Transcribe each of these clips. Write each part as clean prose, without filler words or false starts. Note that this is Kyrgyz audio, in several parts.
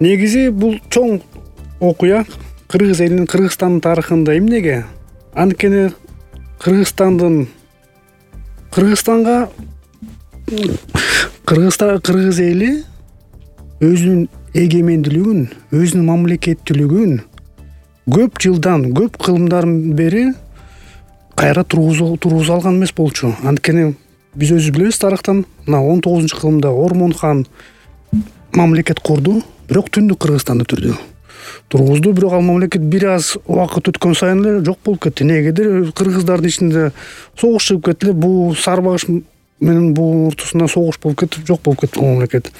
Негизи бул чоң окуя кыргыз элинин, Кыргызстандын тарыхында. Эмнеге? Анткени кыргыз эли өзүнүн эгемендүүлүгүн, өзүнүн мамлекеттүүлүгүн көп жылдан, көп кылымдардан бери кайра тургуза алган эмес болчу. Анткени биз өзүбүз билебиз тарыхтан, мына 19-кылымда Ормон хан мамлекет курду, бирок Түндүк Кыргызстанды тургузду. Бирок ал мамлекет бир аз убакыт өткөн сайын эле жок болуп кетти. Негедир кыргыздардын ичинде согуш чыгып кетти эле. Бул Сарбагыш менен бул ортосунда согуш болуп кетип, жок болуп кетти мамлекет.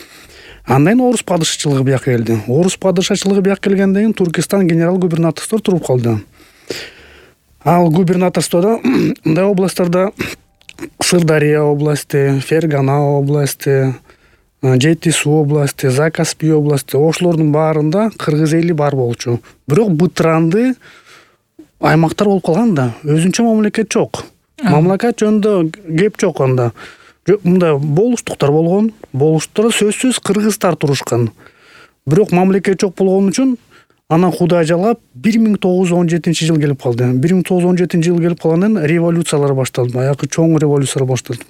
Андан кийин орус падышачылыгы бияка келди. Орус падышачылыгы бияка келгенден кийин Туркестан генерал-губернаторство туруп калды. Ал губернаторстводо мындай областтарда Сырдария области, Фергана области, Жети Суу области, Закаспий области, ошолордун баарында кыргыз эли бар болчу. Бирок бытыранды аймактар болуп калган да, өзүнчө мамлекет жок. Мамлекет жөнүндө кеп жок анда. Мындай болуштуктар болгон. Болуштукта сөзсүз кыргыздар турушкан. Бирок мамлекет жок болгон үчүн анан Кудай жалгап 1917-жыл келип калды. 1917-жыл келип калгандан революциялар башталды. Баягы чоң революциялар башталды.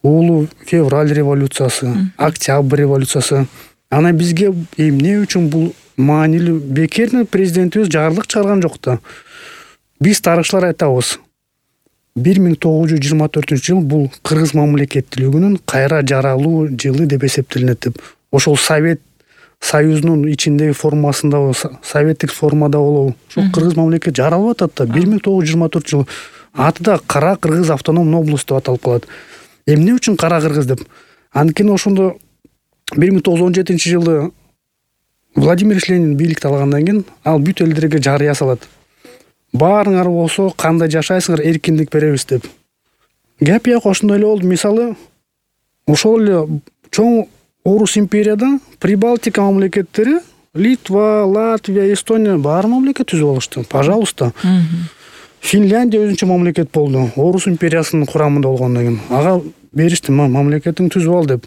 Улуу февраль революциясы, октябрь революциясы. Анан бизге эмне үчүн бул маанилүү? Бекер президентибиз жарлык чыгарган жок да. Биз тарыхчылар айтабыз. 1924-жыл бул кыргыз мамлекеттүүлүгүнүн кайра жаралуу жылы деп эсептелинет деп. Ошол Совет Союзунун ичиндеги формасында, советтик формада болобу, ошол кыргыз мамлекет жаралып атат да. 1924-жыл аты да Кара Кыргыз автономный область деп аталып калат. Эмне үчүн Кара Кыргыз деп? Анткени ошондо 1917-жылы Владимир Ленин бийликти алгандан кийин ал бүт элдерге жарыя салат. Баарыңар болсо кандай жашайсыңар, эркиндик беребиз деп. Геп бияка ошондой эле болду. Мисалы, ошол эле чоң Орус империяда Прибалтика мамлекеттери, Литва, Латвия, Эстония баары мамлекет түзүп алышты. Пожалуйста. Финляндия өзүнчө мамлекет болду. Орус империясынын курамында болгондон кийин ага беришти, мамлекетиң түзүп ал деп.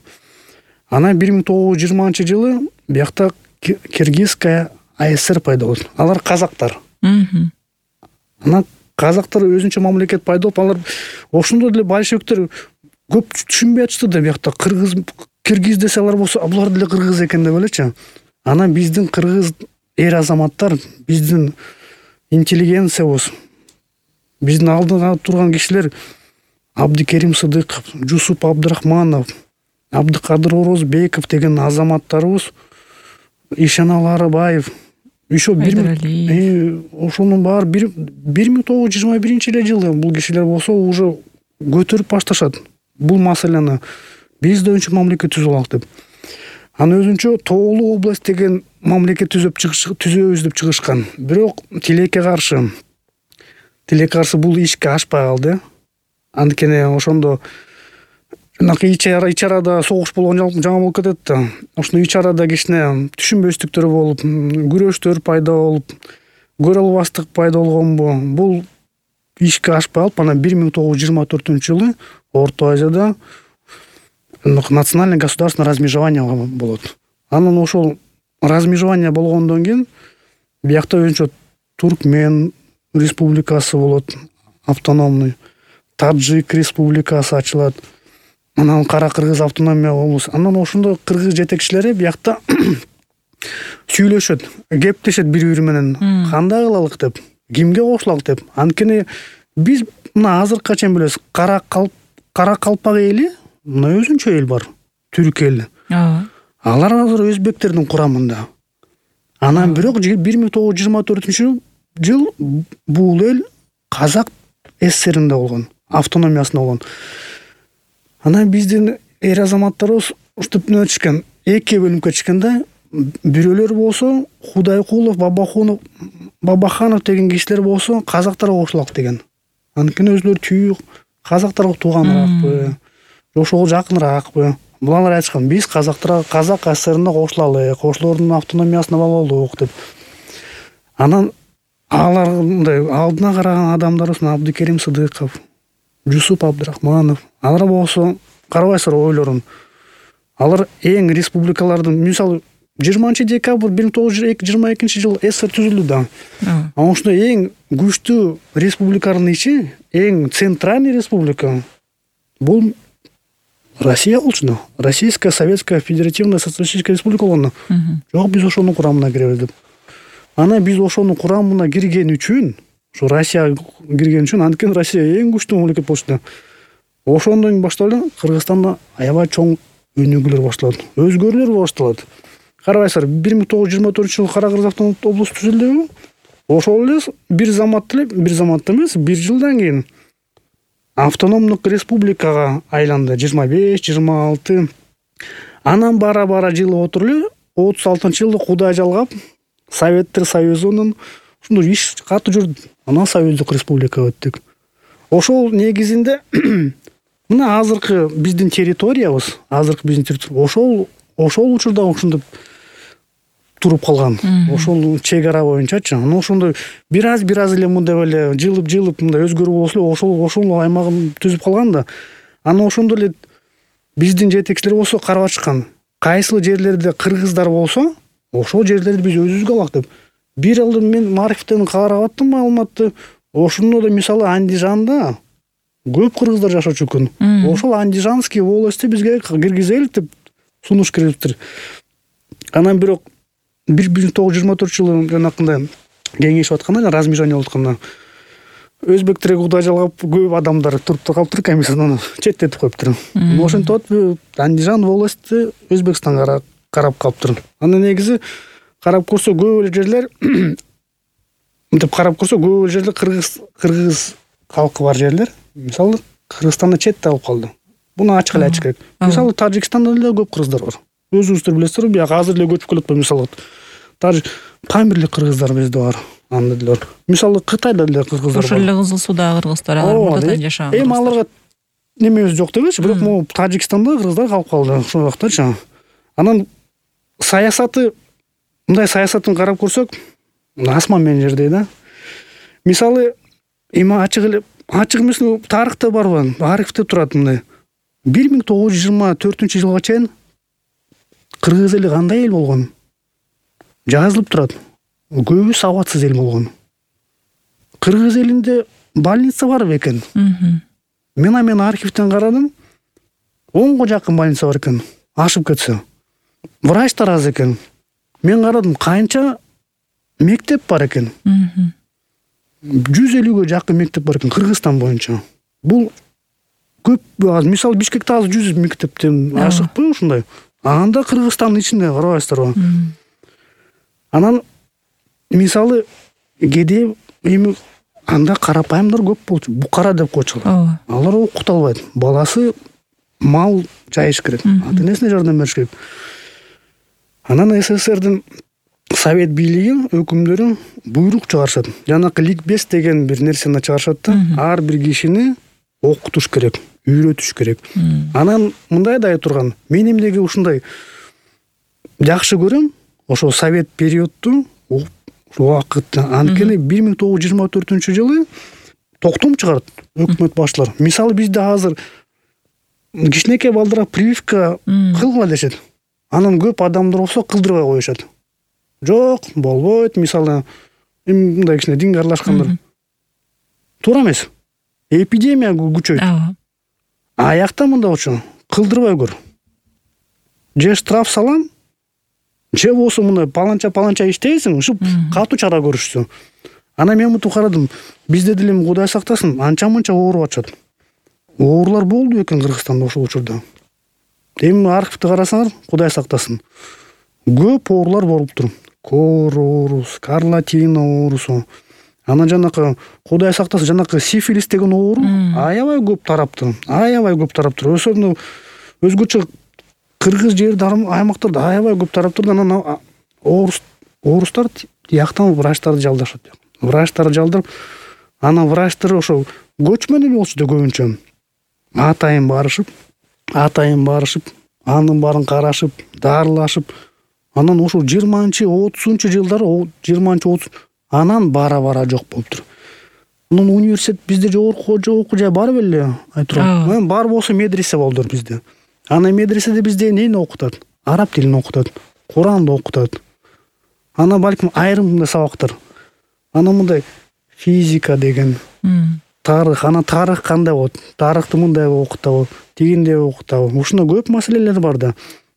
Анан 1920-жылы биякта Киргизская АСР пайда болду. Алар казактар. Анан казактар өзүнчө мамлекет пайда болуп, алар ошондо деле большевиктер көп түшүнбөй атышты да, биякта киргиз десе алар болсо, булар деле кыргыз экен деп элечи. Анан биздин кыргыз эр азаматтар, биздин интеллигенциябыз, биздин алдыга турган кишилер Абдикерим Сыдыков, Жусуп Абдрахманов, Абдыкадыр Орозбеков деген азаматтарыбыз, Ишенал Арыбаев, ошонун баары 1921-жылы бул кишилер болсо уже көтөрүп башташат бул маселени. Биз да өзүнчө мамлекет түзүп алак деп. Анан өзүнчө Тоолуу область деген мамлекет түзөбүз деп чыгышкан. Бирок тилекке каршы бул ишке ашпай калды. Анткени ошондо ич-арада согуш болгон жаңы болуп кетет да. Ошондо ич-арада кичине түшүнбөстүктөр болуп, күрөштөр пайда болуп, көрө албастык пайда болгонбу. Бул ишке ашпай калып, анан 1924-жылы Орто Азияда национальное государственное размежевание болот. Анан ошол размежевание болгондон кийин биякта өзүнчө Туркмен республикасы болот, автономный, Таджик республикасы ачылат. Анан Кара Кыргыз автономия область. Анан ошондо кыргыз жетекчилери биякта сүйлөшөт, кептешет бири-бири менен. Кандай кылалык деп, кимге кошулалык деп. Анткени биз мына азыркыга чейин билебиз, Кара Калпак эли, мына өзүнчө эл бар, түрк эли. Алар азыр өзбектердин курамында. Анан бирок 1924-жыл бул эл Казак ССРинде болгон, автономиясында болгон. Анан биздин эр азаматтарыбыз ушинтип өтүшкөн, эки бөлүмкө чыкканда, бирөөлөр болсо Худайкулов, Бабаханов деген кишилер болсо казактарга кошулак деген. Анткени өзүлөрү түйүк казактарга тууганыракпы, ошого жакыныраакпы. Булар айтышкан, биз казактарга Казак ССРине кошулалык, ошолордун автономиясына бололук деп. Анан алар мындай алдына караган адамдарыбыз, Абдикерим Сыдыков, Жусуп Абдрахманов, алар болсо карабайсыздар ойлорун. Алар эң республикалардын, мисалы 20-декабрь 1922 СССР түзүлдү да. Ошондо эң күчтүү республиканын ичи, эң центральный республика бул Россия болчу да. Российская Советская Федеративная Социалистическая Республика болгондо. Жок, биз ошонун курамына киребиз деп. Анан биз ошонун курамына кирген үчүн, ошо Россия кирген үчүн, анткени Россия эң күчтүү мамлекет болчу да. Ошондон баштап эле Кыргызстанда аябай чоң өнүгүүлөр башталат, өзгөрүүлөр башталат. Карабайсыздар, 1924-жылы Кара Кыргыз автономдук облусу түзүлдү. Ошол эле бир заматта эмес, бир жылдан кийин автономдук республикага айланды. 25-26. Анан бара жылы отуруп эле 36-жылы Кудай жалгап, Советтер Союзунун ушундай иш катуу жүрдү. Анан Союздук республика өттүк. Ошол негизинде мына азыркы биздин территориябыз, ошол учурда ушундай туруп калган. Ошол чек ара боюнчачы. Анан ошондой бир аз эле мындай эле жылып мындай өзгөрүү болсо эле ошол аймагын түзүп калган да. Анан ошондо эле биздин жетекчилер болсо карап атышкан. Кайсыл жерлерде кыргыздар болсо, ошол жерлерди биз өзүбүзгө алак деп. Бир жыл мен Марифтен карап аттым маалыматты. Ошондо да мисалы Андижанда көп кыргыздар жашачу экен. Ошол Андижанский волостьти бизге киргизелик деп сунуш кериптир. Анан бирок 1924-жылы жанакындай кеңешип атканда, размежание болуп атканда, өзбектерге Кудай жалгап көп адамдар туруп калыптыр, комиссиядан четтетип коюптур. Ошентип Андижан волости Өзбекстанга карап калыптыр. Анан негизи карап көрсө көп эле жерлер кыргыз калкы бар жерлер, мисалы Кыргызстанда четте алып калды. Буну ачык эле айтыш керек. Мисалы Тажикстанда деле көп кыргыздар бар. Өзүңүздөр билесиздер, бияка азыр эле көчүп келет, мисалы Памирлик кыргыздар бизде бар. Анда деле бар. Мисалы Кытайда деле кыргыздар бар. Ошол эле Кызыл Суудагы кыргыздар мурда жашаган. Эми аларга немебиз жок дебечи, бирок могу Тажикстанда кыргыздар калып калды ошол вакыттачы. Анан саясаты, мындай саясатын карап көрсөк, асман менен жердей да. Мисалы эми ачык эмес тарыхта барбы, архивде турат мындай. 1924-жылга чейин кыргыз эли кандай эл болгон? Жазылып турат. Көбү сабатсыз эл болгон. Кыргыз элинде больница бар экен. Мен архивден карадым. 10го жакын больница бар экен. Ашып кетсе. Врачтар аз экен. Мен карадым, канча мектеп бар экен. 150-гө жакын мектеп бар экен Кыргызстан боюнча. Бул көп аз. Мисалы Бишкекте азыр 100 мектептен ашыкпы ушундай. Анда Кыргызстандын ичинде карабайсыздарбы? Анан мисалы кеде эми анда карапайымдар көп болчу. Букара деп койчулар. Алар окута албайт. Баласы мал жайыш керек. Ата-энесине жардам бериш керек. Анан СССРдин Совет бийлиги өкүмдөрү буйрук чыгарышат. Жанакы ликбез деген бир нерсени чыгарышат да. Ар бир кишини окутуш керек, үйрөтүш керек. Анан мындай да айта турган. Мен эмнеге ушундай жакшы көрөм? Ошо Совет периодту убакытта. Анткени 1924-жылы токтом чыгарат өкмөт башчылар. Мисалы бизде азыр кичинекей балдарга прививка кылгыла дешет. Анан көп адамдар болсо кылдырбай коюшат. Жок, болбойт. Мисалы мындай кичине динге аралашкандар. Туура эмес. Эпидемия күчөйт. Аякта мындай болчу. Кылдырбай көр. Же штраф салам, же болсо мындай паланча иштейсиң, ушуп катуу чара көрүшсү. Анан мен мынтип карадым. Бизде деле Кудай сактасын, анча-мынча ооруп атышат. Оорулар болду экен Кыргызстанда ошол учурда. Эми архивди карасаңар, Кудай сактасын. Көп оорулар болуптур. Кор оорусу, скарлатина оорусу. Анан жанакы Кудай сактасын, жанакы сифилис деген оору аябай көп тараптыр. Өсөрүндө өзгөчө кыргыз жерде аймактарда аябай көп тараптыр. Анан оорустар тияктан врачтарды жалдашат. Врачтарды жалдырып, анан врачтар ошо көчмөн эле болчу да көбүнчө. Атайын барышып, анын баарын карашып, дарылашып. Анан ошо 20-30 жылдары, 20-30 анан бара жок болуптур. Анан университет bizde жогорку окуу жай бар беле? Айтырам. Бар болсо медресе болдур бизде. Анан медреседе бизде эмнени окутат? Араб тилин окутат. Куранды окутат. Анан балким айрым мындай сабактар. Анан мындай физика деген, тарых, анан тарых кандай болот? Тарыхты мындай окутабы, тигиндей окутабы? Ушунда көп маселелер бар да.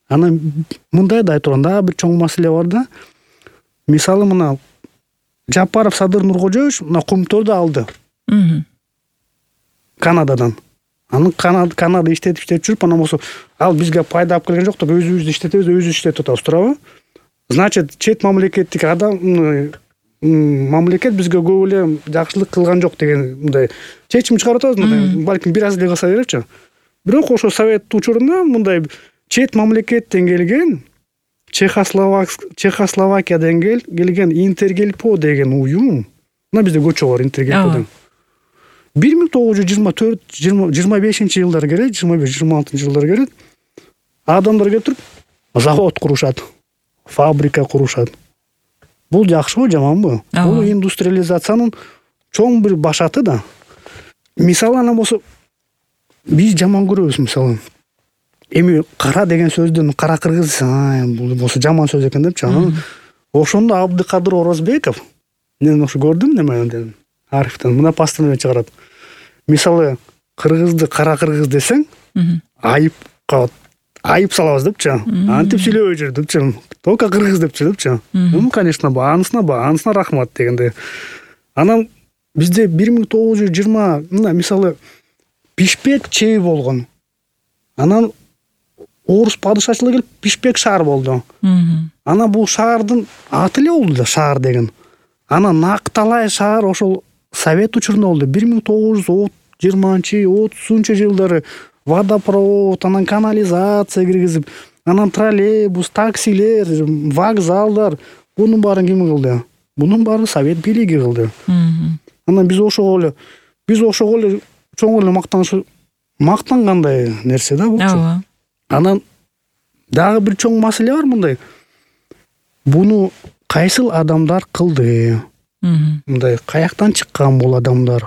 Анан мындай да айтып турган бир чоң маселе бар да. Мисалы мына Жапаров Садыр Нуркожоевич мына Кумторду алды. Канададан. Аны Канада иштетип жүрүп, анан болсо ал бизге пайда алып келген жок деп өзүбүздү иштетебиз, өзүбүз иштетип атабыз, туурабы? Значит, чет мамлекеттик адам мамлекет бизге көп эле жакшылык кылган жок деген мындай чечим чыгарып атабыз, мындай балким бир аз эле кылса беречи. Бирок ошо совет учурунда мындай чет мамлекеттен келген Чехословакиядан келген Интергелпо деген уюм. Мына бизде көчө бар Интергелпо деген. 1924-25 келет, 25-26 жылдар келет. Адамдар келип завод курушат, фабрика курушат. Бул жакшыбы, жаманбы? Бул индустриализациянын чоң бир башаты да. Мисалы анан болсо биз жаман көрөбүз, мисалы. Эми кара деген сөздөн кара кыргыз, бул болсо жаман сөз экен депчи. Анан ошондо Абдыкадыр Орозбеков мен ошо көрдүм немеден архивден мына постановление чыгарат. Мисалы кыргызды кара кыргыз десең, айып салабыз депчи. Антип сүйлөбөй жүр депчи. Только кыргыз депчи. Конечно, анысына рахмат дегенде. Анан бизде 1920 мына мисалы Бишкек чеби болгон. Анан орус падышачылыгы келип Бишкек шаар болду. Анан бул шаардын аты эле болду да, шаар деген. Анан Накталай шаар ошол совет учурунда болду. 1920-30 жылдары водопровод, анан канализация киргизип, анан троллейбус, таксилер, вокзалдар, бунун баарын ким кылды? Бунун баарын совет бийлиги кылды. Анан биз ошого эле чоң эле мактангандай нерсе да булчу. Анан дагы бир чоң маселе бар мындай. Буну кайсыл адамдар кылды? Мындай каяктан чыккан бул адамдар?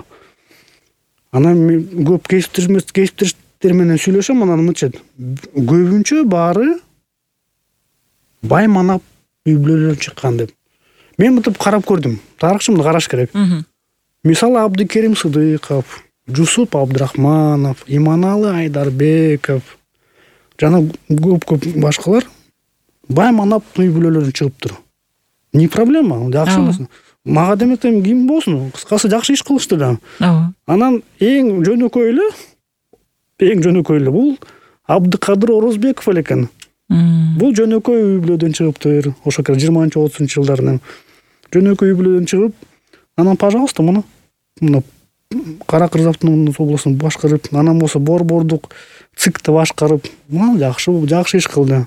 Анан мен көп кесиптештер менен сүйлөшөм, анан мынча көбүнчө баары бай манап үй-бүлөлөрдөн чыккан деп. Мен мынтип карап көрдүм. Тарыхчымды караш керек. Мисалы Абдыкерим Сыдыков, Жусуп Абдрахманов, Иманалы Айдарбеков жана көп башкалар бай манап үй-бүлөлөрдөн чыгыптыр. Не проблема, жакшы эмес. Мага деметем ким болсун, кыскасы жакшы иш кылышты да. Анан эң жөнөкөй эле бул Абдыкадыр Орозбеков эле экен. Бул жөнөкөй үй-бүлөдөн чыгыптыр. Ошо 20-30 жылдарын жөнөкөй үй-бүлөдөн чыгып, анан пожалуйста мына кара кыргыз автономдук областын башкарып, анан болсо борбордук ЦИКты башкарып, жакшы иш кылды.